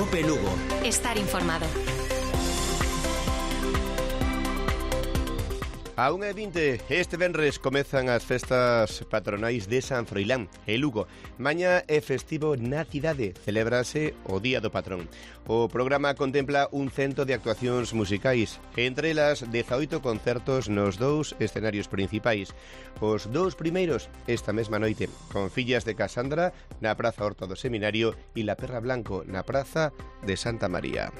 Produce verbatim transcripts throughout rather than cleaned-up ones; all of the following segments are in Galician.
Cope Lugo. Estar informado. A unha e vinte, este venres comezan as festas patronais de San Froilán, e Lugo. Mañá é festivo na cidade, celébrase o Día do Patrón. O programa contempla un cento de actuacións musicais, entre elas dezaoito concertos nos dous escenarios principais. Os dous primeiros esta mesma noite, con Fillas de Casandra na Praza Horta do Seminario e La Perra Blanco na Praza de Santa María.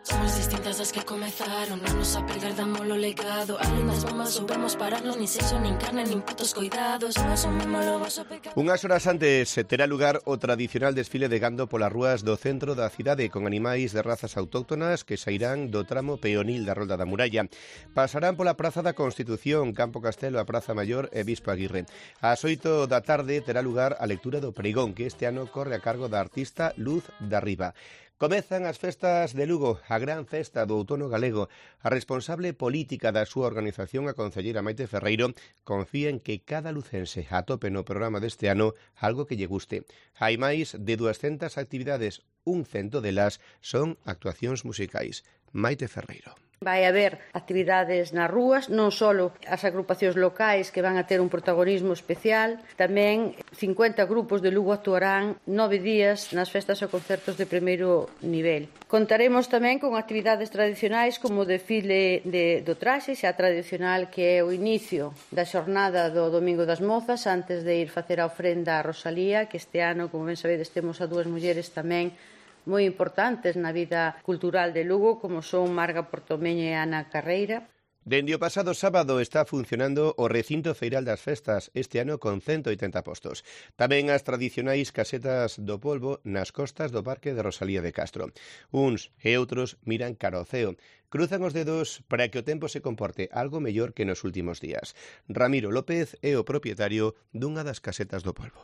Somos distintas das que comezaron, non nos a perder, damos lo legado. Alén das bombas soubemos pararnos, nin sexo, nin carne, nin putos coidados. Non asumimos o vosso pecado. Unhas horas antes terá lugar o tradicional desfile de gando polas rúas do centro da cidade, con animais de razas autóctonas que sairán do tramo peonil da Rolda da Muralla. Pasarán pola Praza da Constitución, Campo Castelo, a Praza Maior e Bispo Aguirre. Ás oito da tarde terá lugar a lectura do pregón, que este ano corre a cargo da artista Luz da Riba. Comezan as festas de Lugo, a gran festa do outono galego. A responsable política da súa organización, a concelleira Maite Ferreiro, confía en que cada lucense atope no programa deste ano algo que lle guste. Hai máis de duascentas actividades, un cento delas son actuacións musicais. Maite Ferreiro. Vai haber actividades nas rúas, non só as agrupacións locais que van a ter un protagonismo especial, tamén cincuenta grupos de Lugo actuarán nove días nas festas e concertos de primeiro nivel. Contaremos tamén con actividades tradicionais como o desfile de, do traxe, xa tradicional, que é o inicio da xornada do Domingo das Mozas, antes de ir facer a ofrenda a Rosalía, que este ano, como ben sabedes, temos a dúas mulleres tamén moi importantes na vida cultural de Lugo, como son Marga Portomeño e Ana Carreira. Dende o pasado sábado está funcionando o recinto feiral das festas, este ano con cento oitenta postos. Tamén as tradicionais casetas do polvo nas costas do Parque de Rosalía de Castro. Uns e outros miran cara ao ceo. Cruzan os dedos para que o tempo se comporte algo mellor que nos últimos días. Ramiro López é o propietario dunha das casetas do polvo.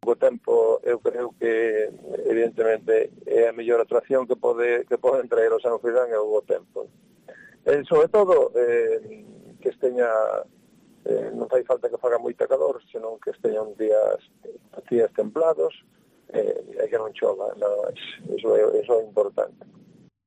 O tempo, eu creo que evidentemente é a mellor atracción que pode que poden traer o San Froilán é o bo tempo. E, sobre todo, eh, que esteña, eh, non fai falta que faga moita calor, senón que esteñan días, días templados eh, e que non chova, no, iso, é, iso é importante.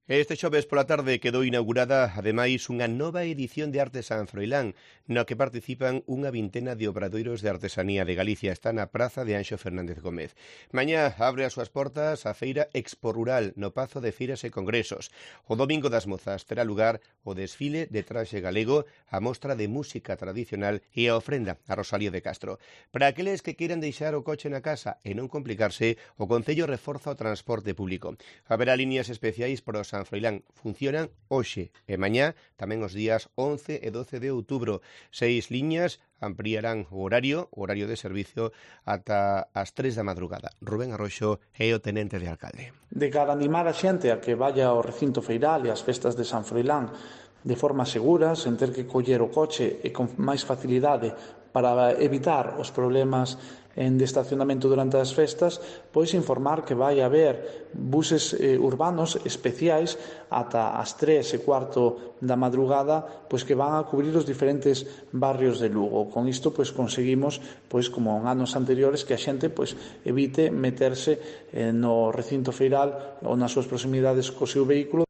Este xoves pola tarde quedou inaugurada, ademais, unha nova edición de Arte San Froilán, no que participan unha vintena de obradoiros de artesanía de Galicia. Está na Praza de Anxo Fernández Gómez. Mañá abre as súas portas a Feira Expo Rural no Pazo de Feiras e Congresos. O Domingo das Mozas terá lugar o desfile de traxe galego, a mostra de música tradicional e a ofrenda a Rosalía de Castro. Para aqueles que queiran deixar o coche na casa e non complicarse, o Concello reforza o transporte público. Haberá líneas especiais para os San Froilán, funcionan hoxe e mañá, tamén os días once e doce de outubro. Seis liñas ampliarán o horario, o horario de servicio, ata as tres da madrugada. Rubén Arroxo é o tenente de alcalde. De cara a animar a xente a que vaya ao recinto feiral e ás festas de San Froilán de forma segura, sen ter que coller o coche e con máis facilidade para evitar os problemas en de estacionamento durante as festas, pois informar que vai haber buses eh, urbanos especiais ata as tres e cuarto da madrugada, pois que van a cubrir os diferentes barrios de Lugo. Con isto pois conseguimos, pois como en anos anteriores, que a xente pois evite meterse eh, no recinto feiral ou nas súas proximidades co seu vehículo.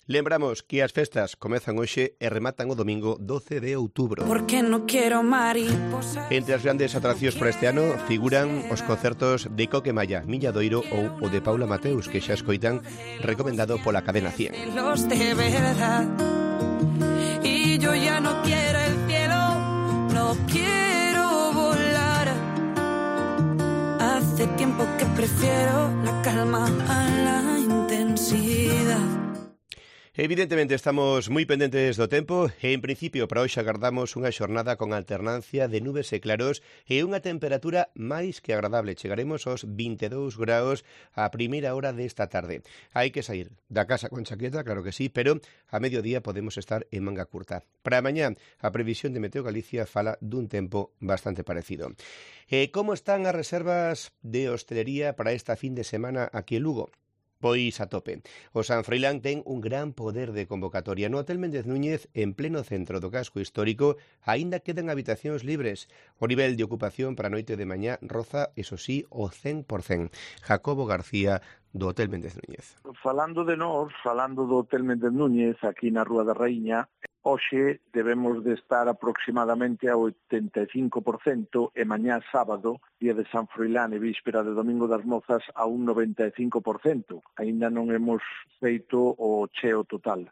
Lembramos que as festas comezan hoxe e rematan o domingo doce de outubro. No Entre as grandes atraccións para este ano figuran os concertos de Coque Malla, Milladoiro ou o de Paula Mateus, que xa escoitan, recomendado pola cadena cien. Los de verdad. Y yo ya no quiero el cielo, no quiero volar. Hace tiempo que prefiero la calma a la intensidad. Evidentemente estamos moi pendentes do tempo e en principio para hoxe agardamos unha xornada con alternancia de nubes e claros e unha temperatura máis que agradable. Chegaremos aos vinte e dous graus a primeira hora desta tarde. Hai que sair da casa con chaqueta, claro que sí, pero a mediodía podemos estar en manga curta. Para mañá a previsión de Meteo Galicia fala dun tempo bastante parecido. E como están as reservas de hostelería para esta fin de semana aquí en Lugo? Pois a tope. O San Froilán ten un gran poder de convocatoria. No Hotel Méndez Núñez, en pleno centro do casco histórico, aínda quedan habitacións libres. O nivel de ocupación para a noite de mañá roza, eso sí, o cen por cen. Jacobo García, do Hotel Méndez Núñez. Falando de nós, falando do Hotel Méndez Núñez, aquí na Rúa da Raíña, hoxe debemos de estar aproximadamente a oitenta e cinco por cento e mañá sábado, día de San Froilán e víspera de Domingo das Mozas, a un noventa e cinco por cento. Aínda non hemos feito o cheo total.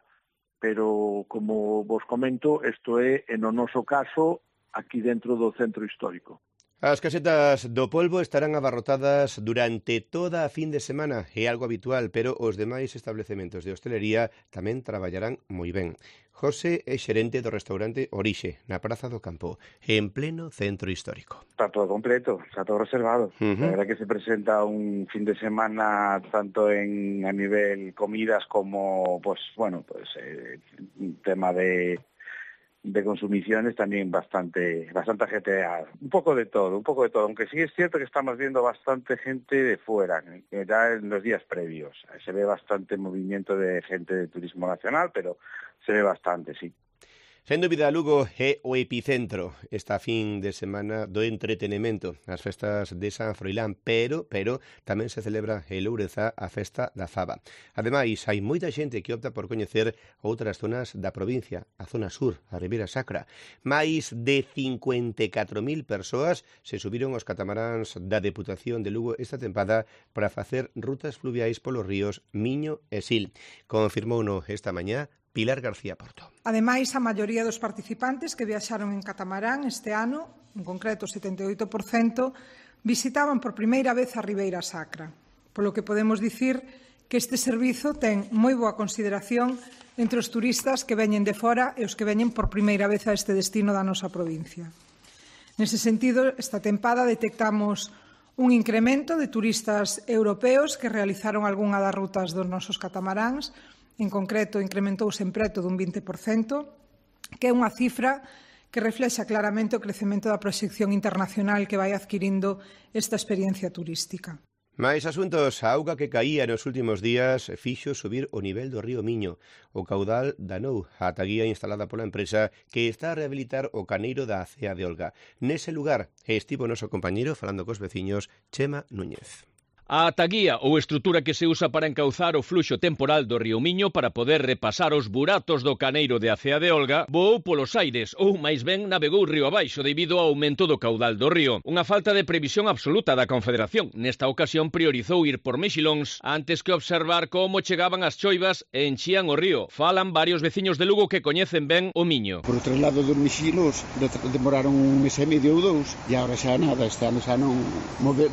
Pero, como vos comento, isto é, en o noso caso, aquí dentro do centro histórico. As casetas do polvo estarán abarrotadas durante toda a fin de semana, é algo habitual, pero os demais establecementos de hostelería tamén traballarán moi ben. José é xerente do restaurante Orixe, na Praza do Campo, en pleno centro histórico. Está todo completo, está todo reservado. Uh-huh. La verdad que se presenta un fin de semana tanto en a nivel comidas como, pues, bueno, pues, eh, un tema de... de consumiciones también bastante bastante ajetreada. Un poco de todo, un poco de todo. Aunque sí es cierto que estamos viendo bastante gente de fuera, ya en los días previos. Se ve bastante movimiento de gente de turismo nacional, pero se ve bastante, sí. Sen dúbida, Lugo é o epicentro esta fin de semana do entretenimento, as festas de San Froilán, pero pero tamén se celebra en Loureza a festa da faba. Ademais, hai moita xente que opta por coñecer outras zonas da provincia, a zona sur, a Ribeira Sacra. Mais de cincuenta e catro mil persoas se subiron aos catamaráns da Deputación de Lugo esta tempada para facer rutas fluviais polos ríos Miño e Sil. Confirmouno esta mañá Pilar García Porto. Ademais, a maioría dos participantes que viaxaron en catamarán este ano, en concreto setenta e oito por cento, visitaban por primeira vez a Ribeira Sacra, polo que podemos dicir que este servizo ten moi boa consideración entre os turistas que veñen de fora e os que veñen por primeira vez a este destino da nosa provincia. Nese sentido, esta tempada detectamos un incremento de turistas europeos que realizaron algunha das rutas dos nosos catamaráns. En concreto, incrementouse en preto dun vinte por cento, que é unha cifra que reflexa claramente o crecemento da proxección internacional que vai adquirindo esta experiencia turística. Mais asuntos, a auga que caía nos últimos días fixo subir o nivel do río Miño. O caudal danou a taguía instalada pola empresa que está a rehabilitar o caneiro da Acea de Olga. Nese lugar estivo o noso compañeiro falando cos veciños, Chema Núñez. A ataguía ou estrutura que se usa para encauzar o fluxo temporal do río Miño para poder repasar os buratos do caneiro de Acea de Olga voou polos aires ou, máis ben, navegou río abaixo debido ao aumento do caudal do río. Unha falta de previsión absoluta da Confederación. Nesta ocasión priorizou ir por mexilóns antes que observar como chegaban as choivas e enchían o río. Falan varios veciños de Lugo que coñecen ben o Miño. Por outro lado dos mexilóns demoraron un mes e medio ou dous e agora xa nada, este ano xa non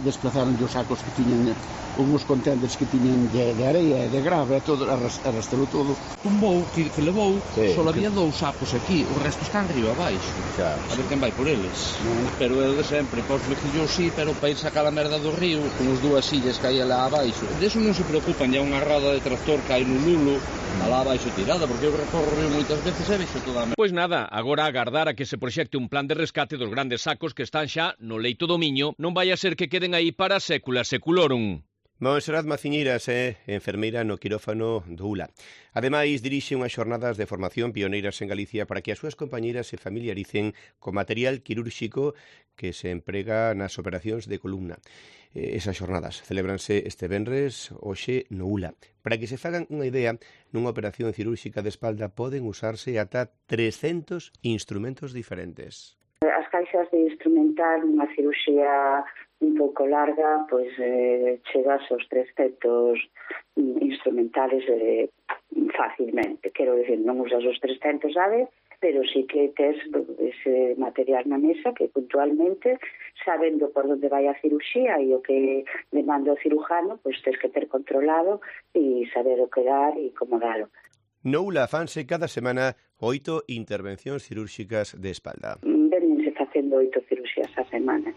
desplazaron os sacos que tiñan unhos contenders que tiñan de, de areia e de grava e todo, arrastrou todo. Un voo que, que levou, sí, só había dous sacos aquí, o resto están río abaixo. Claro. A ver quen vai por eles. Mm. Pero é de sempre, pois vecillos sí, pero para ir sacar a merda do río, con os dúas sillas que hai lá abaixo. De eso non se preocupan, ya unha roda de tractor que hai no lulo, mm. alá abaixo tirada, porque eu recorro o río moitas veces e vexo toda a merda. Pois nada, agora agardar a que se proxecte un plan de rescate dos grandes sacos que están xa no leito do Miño, non vai a ser que queden aí para sécula seculorum. Monserrat Maciñeiras é enfermeira no quirófano do U L A. Ademais, dirixe unhas xornadas de formación pioneiras en Galicia para que as súas compañeiras se familiaricen co material quirúrxico que se emprega nas operacións de columna. Esas xornadas celebranse este venres hoxe no U L A. Para que se fagan unha idea, nunha operación cirúrxica de espalda poden usarse ata trescentos instrumentos diferentes. As caixas de instrumental, unha cirurxía un pouco larga, pois eh, chegas aos trescentos instrumentales eh, fácilmente. Quero dicir, non usas os trescentos a vez, pero sí que tes ese material na mesa que puntualmente, sabendo por onde vai a cirurxía e o que demanda o cirujano, pois tes que ter controlado e saber o que dar e como dalo. No U L A fanse cada semana oito intervencións cirúrxicas de espalda. Venense facendo oito cirurxías a semana.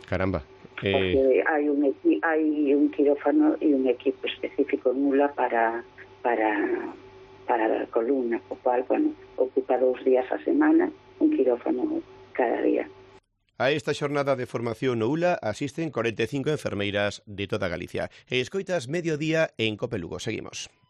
Caramba. Eh... Porque hai un, hai un quirófano e un equipo específico en U L A para, para, para a columna, o cual, bueno, ocupa dous días a semana, un quirófano cada día. A esta xornada de formación no U L A asisten cuarenta e cinco enfermeiras de toda Galicia. E escoitas Mediodía en Cope Lugo. Seguimos.